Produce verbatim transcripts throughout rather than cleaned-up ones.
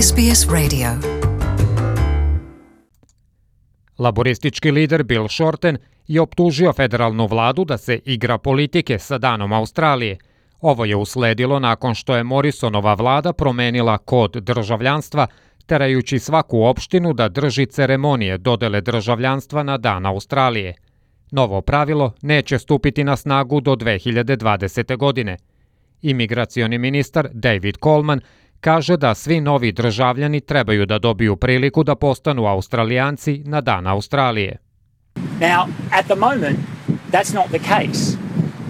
S B S Radio. Laboristički lider Bill Shorten je optužio federalnu vladu da se igra politike sa Danom Australije. Ovo je usledilo nakon što je Morrisonova vlada promenila kod državljanstva, terajući svaku opštinu da drži ceremonije dodele državljanstva na Dan Australije. Novo pravilo neće stupiti na snagu do dve hiljade dvadesete. godine. Imigracioni ministar David Coleman kaže da svi novi državljani trebaju da dobiju priliku da postanu Australijanci na Dan Australije. Now, at the moment, that's not the case.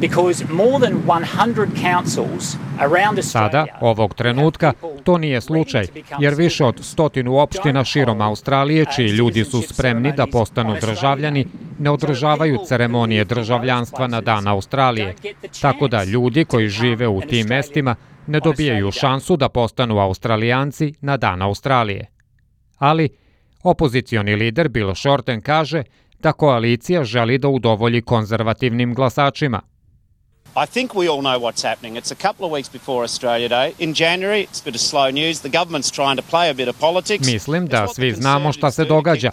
Because more than one hundred councils around Australia... Sada, ovog trenutka, to nije slučaj, jer više od stotinu opština širom Australije, čiji ljudi su spremni da postanu državljani, ne održavaju ceremonije državljanstva na Dan Australije, tako da ljudi koji žive u tim mestima ne dobijaju šansu da postanu Australijanci na Dan Australije. Ali, opozicioni lider Bill Shorten kaže da koalicija želi da udovolji konzervativnim glasačima. I think we all know what's happening. It's a couple of weeks before Australia Day. In January, it's a bit of slow news. The government's trying to play a bit of politics. Mislim da svi znamo šta se događa.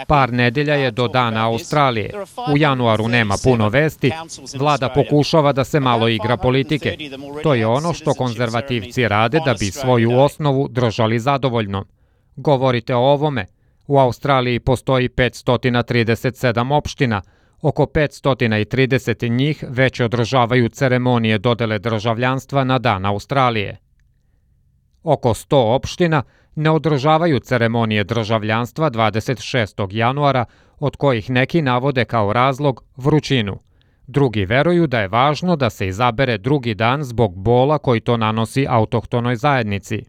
Par nedelja je do Dana Australije. U januaru nema puno vesti. Vlada pokušava da se malo igra politike. To je ono što konzervativci rade da bi svoju osnovu držali zadovoljno. Govorite o ovome. U Australiji postoji petsto trideset sedam opština. Oko petsto trideset njih već održavaju ceremonije dodele državljanstva na Dan Australije. Oko sto opština ne održavaju ceremonije državljanstva dvadeset šestog januara, od kojih neki navode kao razlog vrućinu. Drugi veruju da je važno da se izabere drugi dan zbog bola koji to nanosi autohtonoj zajednici.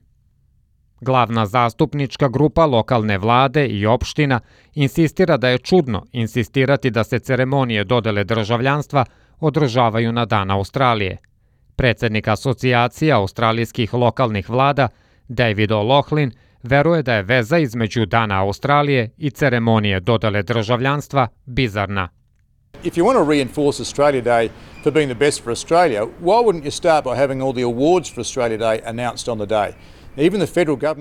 Glavna zastupnička grupa lokalne vlade i opština insistira da je čudno insistirati da se ceremonije dodele državljanstva održavaju na Dan Australije. Predsednik Asocijacije australijskih lokalnih vlada, David O'Loughlin, veruje da je veza između Dana Australije i ceremonije dodele državljanstva bizarna. If you want to reinforce Australia Day for being the best for Australia, why wouldn't you start by having all the awards for Australia Day announced on the day?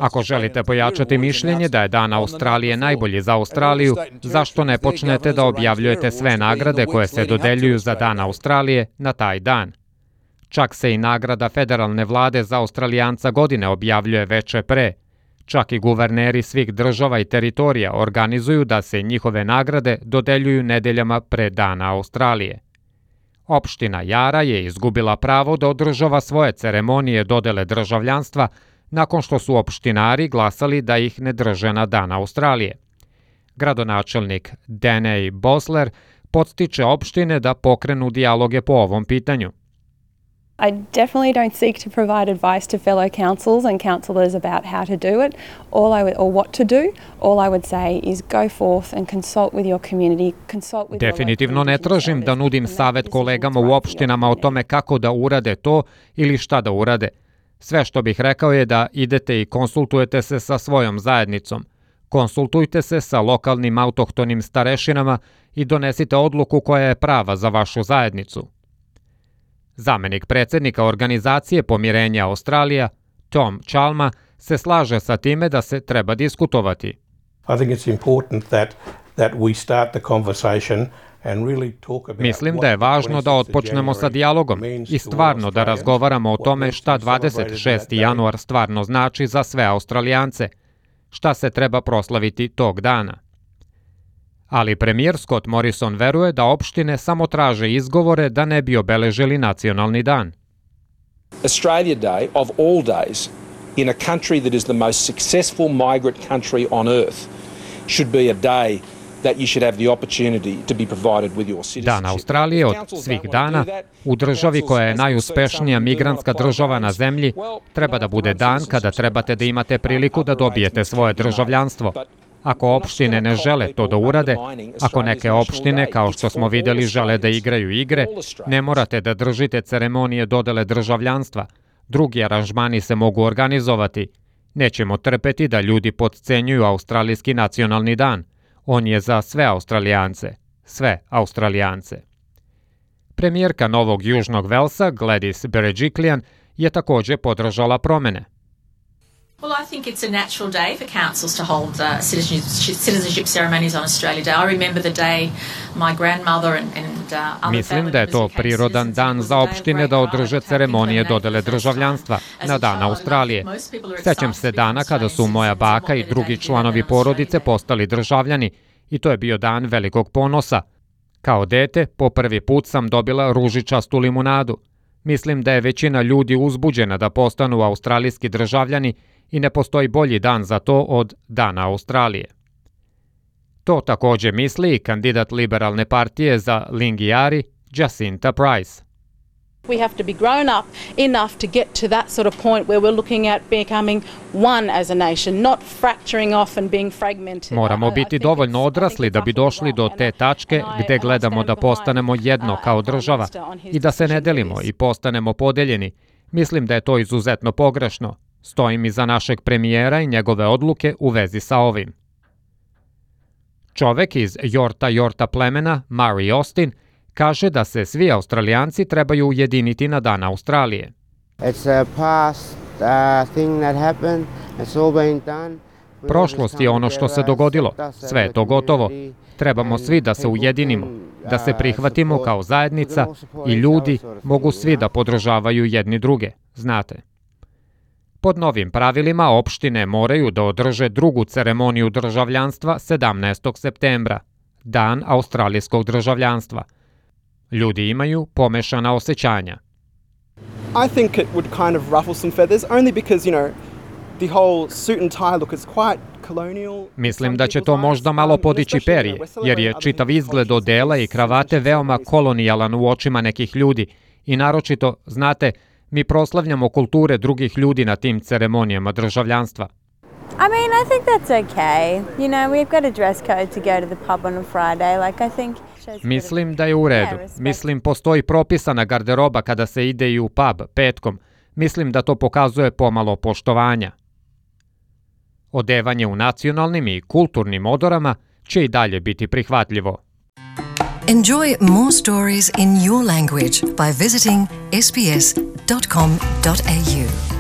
Ako želite pojačati mišljenje da je Dan Australije najbolji za Australiju, zašto ne počnete da objavljujete sve nagrade koje se dodeljuju za Dan Australije na taj dan? Čak se i nagrada federalne vlade za Australijanca godine objavljuje veče pre. Čak i guverneri svih država i teritorija organizuju da se njihove nagrade dodeljuju nedeljama pre Dana Australije. Opština Jara je izgubila pravo da održava svoje ceremonije dodele državljanstva nakon što su opštinari glasali da ih ne drže na Dan Australije. Gradonačelnik Danny Bosler podstiče opštine da pokrenu dijaloge po ovom pitanju. I definitely don't seek to provide advice to fellow councils and councillors about how to do it, all I would, or what to do. All I would say is go forth and consult with your community, consult with Definitivno ne tražim da nudim savet kolegama u opštinama o tome kako da urade to ili šta da urade. Sve što bih rekao je da idete i konsultujete se sa svojom zajednicom. Konsultujte se sa lokalnim autohtonim starešinama i donesite odluku koja je prava za vašu zajednicu. Zamenik predsednika organizacije Pomirenja Australija, Tom Chalma, se slaže sa time da se treba diskutovati. I think it's important that that we start the conversation. Mislim da je važno da otpočnemo sa dijalogom i stvarno da razgovaramo o tome šta dvadeset šesti januar stvarno znači za sve Australijance, šta se treba proslaviti tog dana. Ali premijer Scott Morrison veruje da opštine samo traže izgovore da ne bi obeležili nacionalni dan. Australia Day of all days in a country that is the most successful migrant country on earth should be a day that you should have the opportunity to be provided with your citizenship. Dan Australije od svih dana u državi koja je najuspešnija migrantska država na zemlji treba da bude dan kada trebate da imate priliku da dobijete svoje državljanstvo. Ako opštine ne žele to da urade, ako neke opštine, kao što smo videli, žele da igraju igre, ne morate da držite ceremonije dodele državljanstva. Drugi aranžmani se mogu organizovati. Nećemo trpeti da ljudi potcenjuju australijski nacionalni dan. On je za sve Australijance. Sve Australijance. Premijerka Novog Južnog Velsa, Gladys Berejiklian, je takođe podržala promene. Well, I think it's a natural day for councils to hold uh, citizenship, citizenship ceremonies on Australia Day. I remember the day my grandmother and, and uh, other Mislim da je to prirodan dan za opštine da održe ceremonije dodele državljanstva na Dan Australije. Sećam se dana kada su moja baka i drugi članovi porodice postali državljani i to je bio dan velikog ponosa. Kao dete, po prvi put sam dobila ružičastu limunadu. Mislim da je većina ljudi uzbuđena da postanu australijski državljani i ne postoji bolji dan za to od Dana Australije. To također misli i kandidat liberalne partije za Lingiari, Jacinta Price. We have to be grown up enough to get to that sort of point where we're looking at becoming one as a nation, not fracturing off and being fragmented. Moramo biti dovoljno odrasli da bi došli do te tačke gde gledamo da postanemo jedno kao država i da se ne delimo i postanemo podeljeni. Mislim da je to izuzetno pogrešno. Stojim iza našeg premijera i njegove odluke u vezi sa ovim. Čovek iz Yorta Yorta plemena, Murray Austin, kaže da se svi Australijanci trebaju ujediniti na Dan Australije. Prošlost je ono što se dogodilo. Sve je to gotovo. Trebamo svi da se ujedinimo, da se prihvatimo kao zajednica i ljudi mogu svi da podržavaju jedni druge, znate. Pod novim pravilima opštine moraju da održe drugu ceremoniju državljanstva sedamnaestog septembra, Dan australijskog državljanstva. Ljudi imaju pomešana osjećanja. I think it would kind of ruffle some feathers only because, you know, the whole suit and tie look is quite colonial. Mislim da će to možda malo podići perje, jer je čitav izgled odela i kravate veoma kolonijalan u očima nekih ljudi i naročito, znate, mi proslavljamo kulture drugih ljudi na tim ceremonijama državljanstva. I mean, I think that's okay. You know, we've got a dress code to go to the pub on a Friday. Like, I think... Mislim da je u redu. Mislim, postoji propisana garderoba kada se ide i u pub petkom. Mislim da to pokazuje pomalo poštovanja. Odevanje u nacionalnim i kulturnim odorama će i dalje biti prihvatljivo. Enjoy more stories in your language by visiting s b s dot com dot a u.